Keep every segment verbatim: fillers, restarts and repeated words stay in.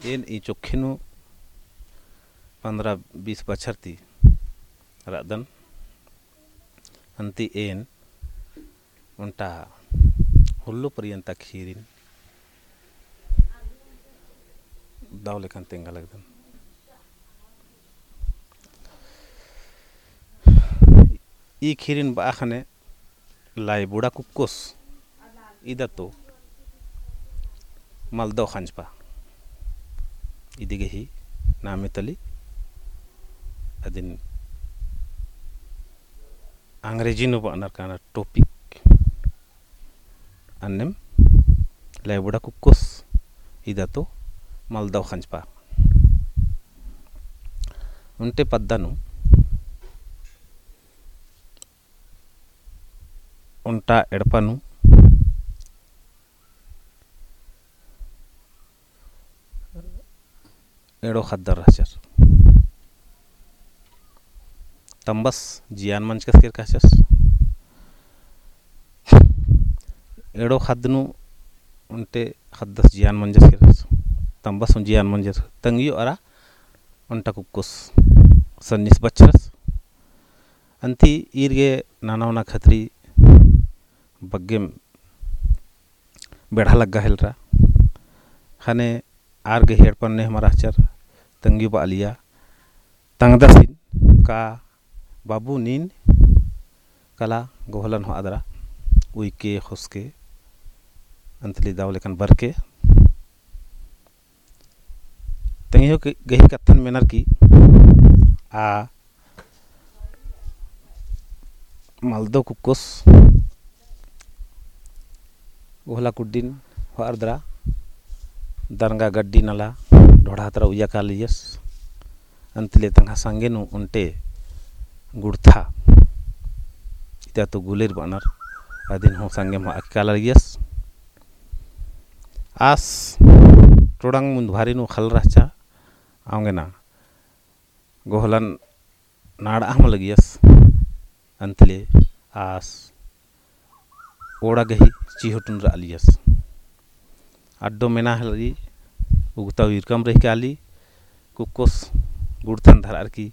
एन ई चोक्खे नू पन्द्रह बीस बछर ती रअदन। अन्ती एन ओन्टा हुल्लो परियन्ता खीरिन दव लेकन तेंगा लगदन। ई खीरिन बआ ख़ने लाईबुड़ा कुक्कोस इदा तो मलदव ख़ंजपा। इदी गही नामे तली अदिन अंग्रेजी नू बअनर काना topic। अन्नेम लाईबुड़ा कुक्कोस इदा तो मलदव ख़ंजपा। ओन्टे पद्दा नू ओन्टा एड़पा नू एड़ो ख़द्दर रहचर। तम्बस जियान मंजकस केरका रहचस। एड़ो ख़द्द नू ओन्टे ख़द्दस जियान मंजस केरस। तम्बस हूँ जियान मंजस। तंगियो अरा ओन्टा कुक्कोस सन्निस बछरस। अन्ती ईर गे नना ओना खतरी बग्गेम बेड़ा लग्गा हेलरा। ख़ने आर गही एड़पन ने हमारा रहचर। तंगियो बआलिया तंगदसिन का बाबू नीन कला गोहलन होअदरा उइके ख़ोसके। अन्ती ले दव लेकन बरके तंगियो गही कत्थन मेनर की आ मलदव कुक्कोस गोहला कुड्डिन होअरदरा दरंगा गड्डी नला ढोढ़ा तरा उइया कालियस। अन्ती ले तंग्है संगे नू ओन्टे गुड़था इदा तो गुलेर बअनर अदिन हूँ संगेम होआ काला लगियस। आस टोड़ंग मुन्दभारी नू ख़ल्ल रहचा। औंगे ना गोहलन नाड़आ हूँ लगियस। अन्ती ले आस ओड़ा गही चिहुटुन रआलियस। अड्डो मेना हलरी उगता उइरकम रही काली। कुक्कोस गुड़थन धरअर की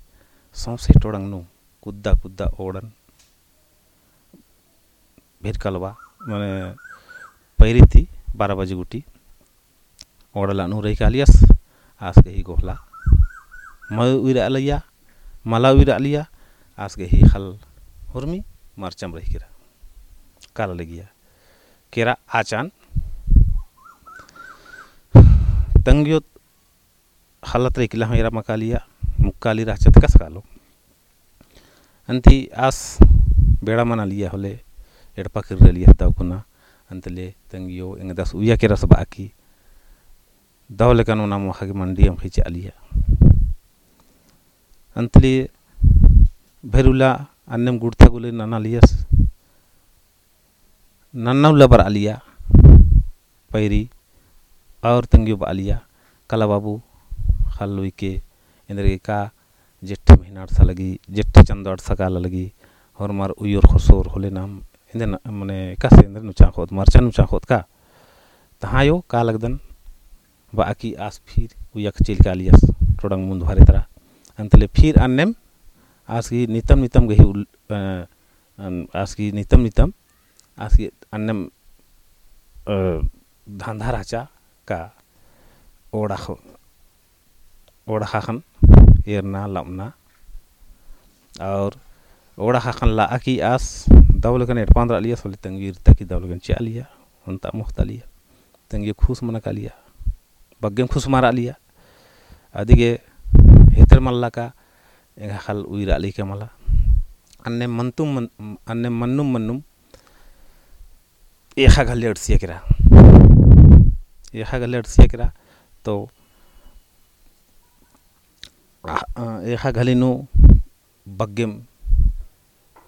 सौंसे टोड़ंग नू कुद्दा कुद्दा ओड़न भेर कलवा मने पैरी ती बारह बजे गुटी ओड़ला नू रही कालियस। आस गही गोहला मल उइरआ लगिया, मला उइरआ लगिया। आस गही ख़ल्ल हुरमी मरचम रही केरा काला लगिया। केरा आचान तंगियो ख़ल्ल तरा इकला हूँ एरा मकालिया, मुक्काली रहचा ती कस कालो। अन्ती आस बेड़ा मनालिया होले एड़पा किर्रलिया दव कुना। अन्ती ले तंगियो एंगदस उइया केरस बआ की दव लेकन ओना मोख़ा गे मंडी अमख़ी चिआलिया। अन्ती ले भेरुला अन्नेम गुड़था गुले ननालियस। नन्ना उल्ला बरआलिया पैरी और तंगियो बआलिया कला बाबू ख़ल्ल उइके एन्देरगे का जेठे महीना अड़सा लगी, जेठे चंदो अड़सा काला लगी, होरमर उइयोर ख़ोसोर होले नाम एन्देर न-, मने एकासे एन्देर नुचा ख़ोत, मरचा नुचा ख़ोत का। तहाँ अयो का लगदन बआ की आस फिर उइया कचेल कालियस टोड़ंग मुन्दभारी तरा। अन्ती ले फिर अन्नेम आस गही नितम नितम गही उल-, अ, अन-, आस गही नितम नितम आस गही अन्नेम, अ, धंधा रहचा का ओड़ा ख़ो-, ओड़ा ख़ाख़न एरना लमना। और ओड़ा ख़ाख़न लआ की आस दव लेकन एड़पा नू रआलियस होले तंगियो इरता की दव लेकन चिआलिया, ओन्टा मोख़तालिया। तंगियो खुस मना कालिया, बग्गेम खुस मरआलिया। अदिगे हेतर मल्ला का एंग्है ख़ल्ल उइरआ लगी का मला। अन्नेम मन्नुम मन-, अन्नेम मन्नुम मन्नुम एख़ा घले अड़सिया केरा। एख़ा घले अड़सिया केरा तो आ, आ, एख़ा घले नू बग्गेम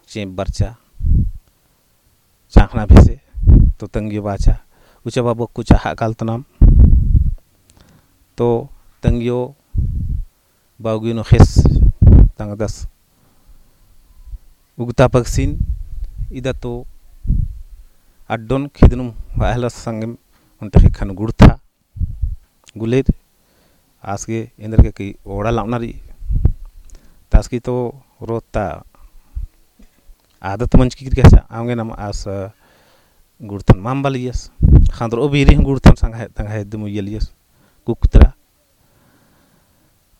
चेंप बरचा, चाँख़ना भेसे, तो तंगियो बाचा, उचा बाबू अक्कु चाहा कालतनाम, तो तंगियो बाउगी नू ख़ेस तंगदस उगता पगसिन, इदा तो अड्डोन खिदनुम वाहलस संगेम ओन्टे ख़ेक्खन गुड़था गुलेर आस गे एन्देरगे कि ओड़ा लावना रई। तास की तो रोता आदत मंजकी किरकी रहचा, औंगे नाम आस गुड़थन माम बालियस। ख़ान्दर ओ बीरी हूँ गुड़थन संगा हे, तंगा हे दिम उइयलियस। कुक्तरा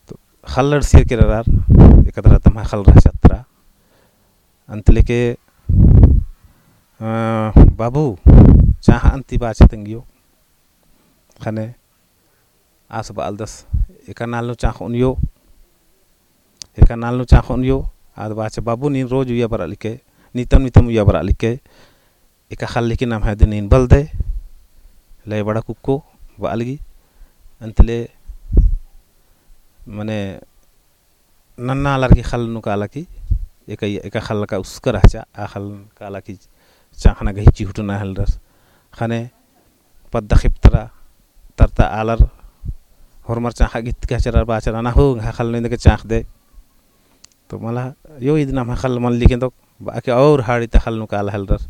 तो ख़ल्ल अंड़सियर केरा रअर, एकतरा तम्है ख़ल्ल रहचा तरा। अंतले के, अ, बाबू, चाँख़ अन्ती बाचा तंग्यो। ख़ने आस बआलदस, एका नाल नू चाँख़ ओनियो, एका नाल नू चाँख़ ओनियो। आद बाचा, बाबू, नीन रोज उइया बरआ लिक्कय, नितम नितम उइया बरआ लिक्कय। एका ख़ल्ल हिकी नम्है दिम नीन बलदय, लय बड़ा कुक्को बआ लगी। अंतले मने नन्ना आलर की ख़ल्ल नू काला की, एका, एका ख़ल्ल का उसका रहचा, आ ख़ल्ल काला की चाँख़ना गही चिहुटना हेलरस। ख़ने पद्दा ख़िप्तरा तरता आलर होरमर चाँख़ा गित कहचरर बाचर, अना हो, एंग्है ख़ल्ल नू एन्देरगे चाँख़दय। तो मला, यो ईद नम्है ख़ल्ल मल्ली केन्दोक, बआ के और हाड़ी ता ख़ल्ल नू काला हेलरस।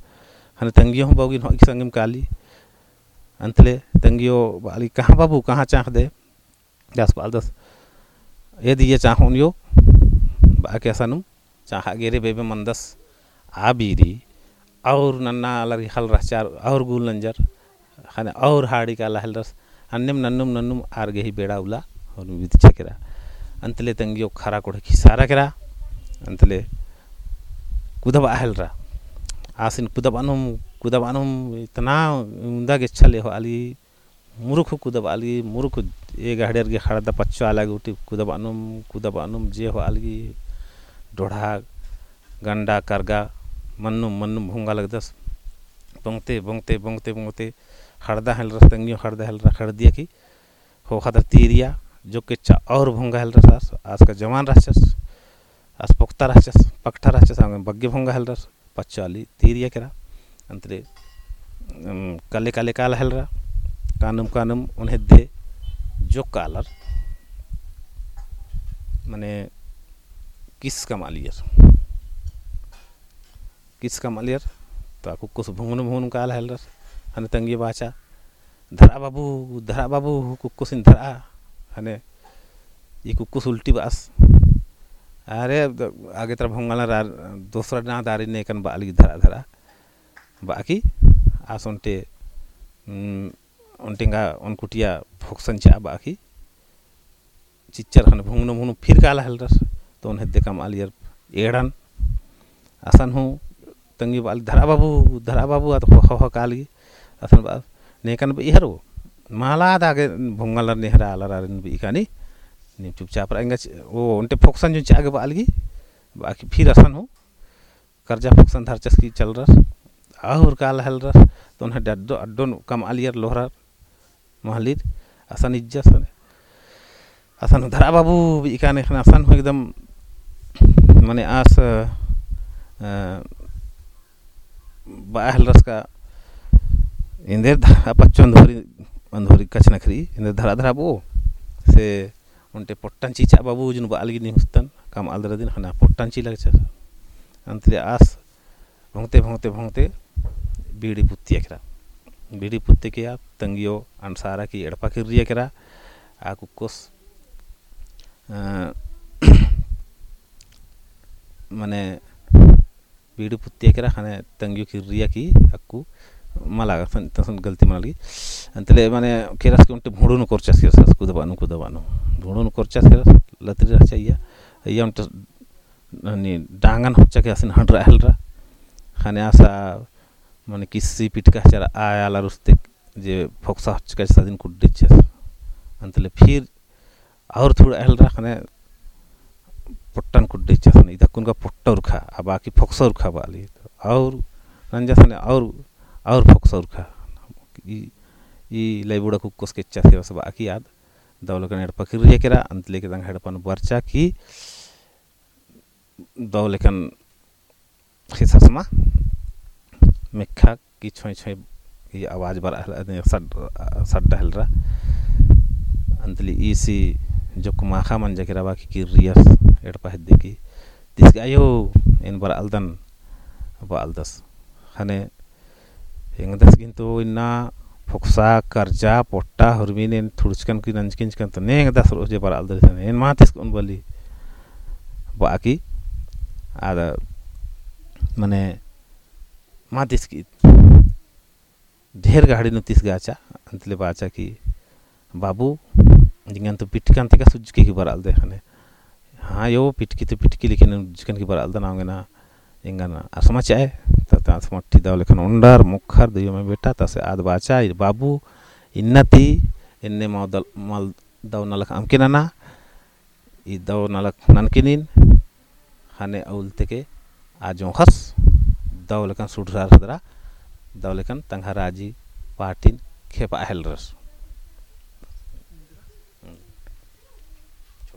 ख़ने तंग्यो हूँ बौगिन हो की संगिम काली। अंतले तंग्यो बआ लगी, कहाँ बाबू, कहाँ चाँख़दय? आस बआलदस, एद इय्या चाँख़ ओनियो, बआ के असानुम चाँख़ा गेरे बेबे मंदस। आ बीरी और नन्ना आलर की ख़ल्ल रहचा, और गुल नंजर, ख़ने और हाड़ी काला हेलरस। अन्नेम नन्नुम नन्नुम आर गही बेड़ा उल्ला होरमी बिदचा केरा। अंतले तंग्यो खरा कोड़े खिसारा केरा। अंतले कुदबआ हेलरा। आसिन कुदबअनुम, कुदबअनुम इतना उन्दा गेच्छा ले होआ लगी, मुरुख कुदबआ लगी, मुरुख ए गहड़ेर गे ख़ड़दा पच्चो आला गूटी कुदबअनुम, कुदबअनुम जे होआ लगी, डोढ़ा, गंडा, करगा, मन्नुम, मन्नुम भोंगा लगदस। बोंगते, बोंगते, बोंगते, बोंगते, ख़ड़दा हेलरस तंग्यो, ख़ड़दा हेलरा, ख़ड़दिया की, ख़ोख़ा दर तीरिया, जो केच्चा और भोंगा हेलरस आस, आस का जवान रहचस, आस पोक्ता रहचस, पकठा रहचस, आंगे बग्गे भोंगा हेलरस। पच्चो आली तीरिया केरा। अंतले, अम, कले कले काला हेलरा, कानुम कानुम ओन्हेद्दे जोक्क आलर, मने किस कमआलियर, किस कमआलियर, तो आ कुक्कोस भुंगनुम भुंगनुम काला हेलरस, ख़ने तंग्यो बाचा, धरआ बाबू, धरआ बाबू, कुक्कोसिन धरआ। ख़ने ई कुक्कोस उल्टी बअस। अरे, द-, आगे तरा भोंगालर आर-, दोसरा ना दारी नेकन बआ लगी धरआ, धरआ। बआ की आस ओन्टे, उम, ओन्टे एंगा ओन कुटिया फोकसन चिआ बआ की चिच्चर ख़ने भुंगनुम भुंगनुम फिर काला हेलरस, तो ओन्हेद्दे कमआलियर एड़न। असन हूँ तंग्यो बआ लगी, धरआ बाबू, धरआ बाबू, आद ख़ोख़ा काली। असन बआ, नेकन बई हरो, मला आद आगे भोंगालर नेहरा आलर आरिन बई कानी, नीम चुपचाप रआ एंगा चि-, ओ, ओन्टे फोकसन जुन चिआ गे बआ लगी, बआ की फिर असन हूँ करजा फोकसन धरचस की चलरस, आउर काला हेलरस, तो ओन्हेद्दे अड्डो, अड्डोन कमआलियर लोहरर, महलिर, असन इज्जस, असन धरआ बाबू बई काने ख़ने असन हूँ एकदम, मने आस, अ, बआ हेलरस का, एन्देर ध-, आ पच्चो अंधोरी, अंधोरी कछनखरी, एन्देर धरआ धरआ बओ, से ओन्टे पोट्टन चिचआ बाबू जुन बआ लगी निहुस्तन, कमआलदर अदिन ख़ने पोट्टन चिआ लगचस। अंतले आस भोंगते, भोंगते, भोंगते बीड़ी पुत्तिया केरा। बीड़ी पुत्ते के आ तंग्यो अंड़सारा की एड़पा किर्रिया केरा। आ कुक्कोस, अ, मने बीड़ी पुत्तिया केरा ख़ने तंग्यो किर्रिया की अक्कु मला असन, तसन गलती मना लगी। अंतले मने केरस की ओन्टे भुंडुन कोरचस केरस, कुदबअनुम, कुदबअनुम। भुंडुन कोरचस केरस, लतरी रहचा इय्या। इय्या ओन्टे ननी डांगन होच्चा के असिन हंडरआ हेलरा। ख़ने आस मने किस्सी पिटका चरा आय आलर उस्ते जे फोकसा होच्चका अदिन कुड्डेचस। अंतले फिर और थोड़ा हेलरा ख़ने पोट्टन कुड्डेचस, इदा कुनका पोट्टा उरखा, आ बआ की फोकसा उरखा बआ लगी। और नंजस ख़ने और, और फोकसा उरखा। ई, ई लइबुड़ा कुक्कोस केच्चस केरस बआ की आद दव लेकन एड़पा किर्रिया केरा। अंतले के तंग एड़पन बरचा की दव लेकन ख़ेसस मा मेक्खा की छोंय छोंय की आवाज बरआ हेल-, अदे सड-, सड्डा हेलरा। अंतले ईसी जोक्क माख़ा मंजा केरा बआ की किर्रियस एड़पा हेद्दे की, तिस गे अयो, एन बरआलदन बआलदस। ख़ने एंगदस गे तो इन्ना फोकसा, कर्जा, पोट्टा, हुरमिन एन थुड़चकन की नंजकिंजकन तो नेंग दस रोज जे बरआलदर इसन एन मा तिस्कन बली। बाकी आद मने मा तिस्की ढेर गहड़ी नू तिस्गाचा, अंतले बाचा कि बाबू, जिंगन तो पिटकन तेका सुज्जके की बरआलदे ख़ने। हाँ यो, पिटकी तो पिटकी, लेकिन उज्जकन की बरआलदन औंगे ना, एंगन असमा चाय, त, त असमा ठी दव लेखन ओंडर, मोखर, दुयो में बेटा, तसे आद बाचा, ई बाबू, इन्ना ती, एन्ने मल दव नलख अमके नना, ई दव नलख ननके नीन, ख़ने अउल तेके आ जोंख़स, दव लेखन सुडरर सदरा, दव लेखन तंग्है राजी पार्टीन खेपा हेलरस।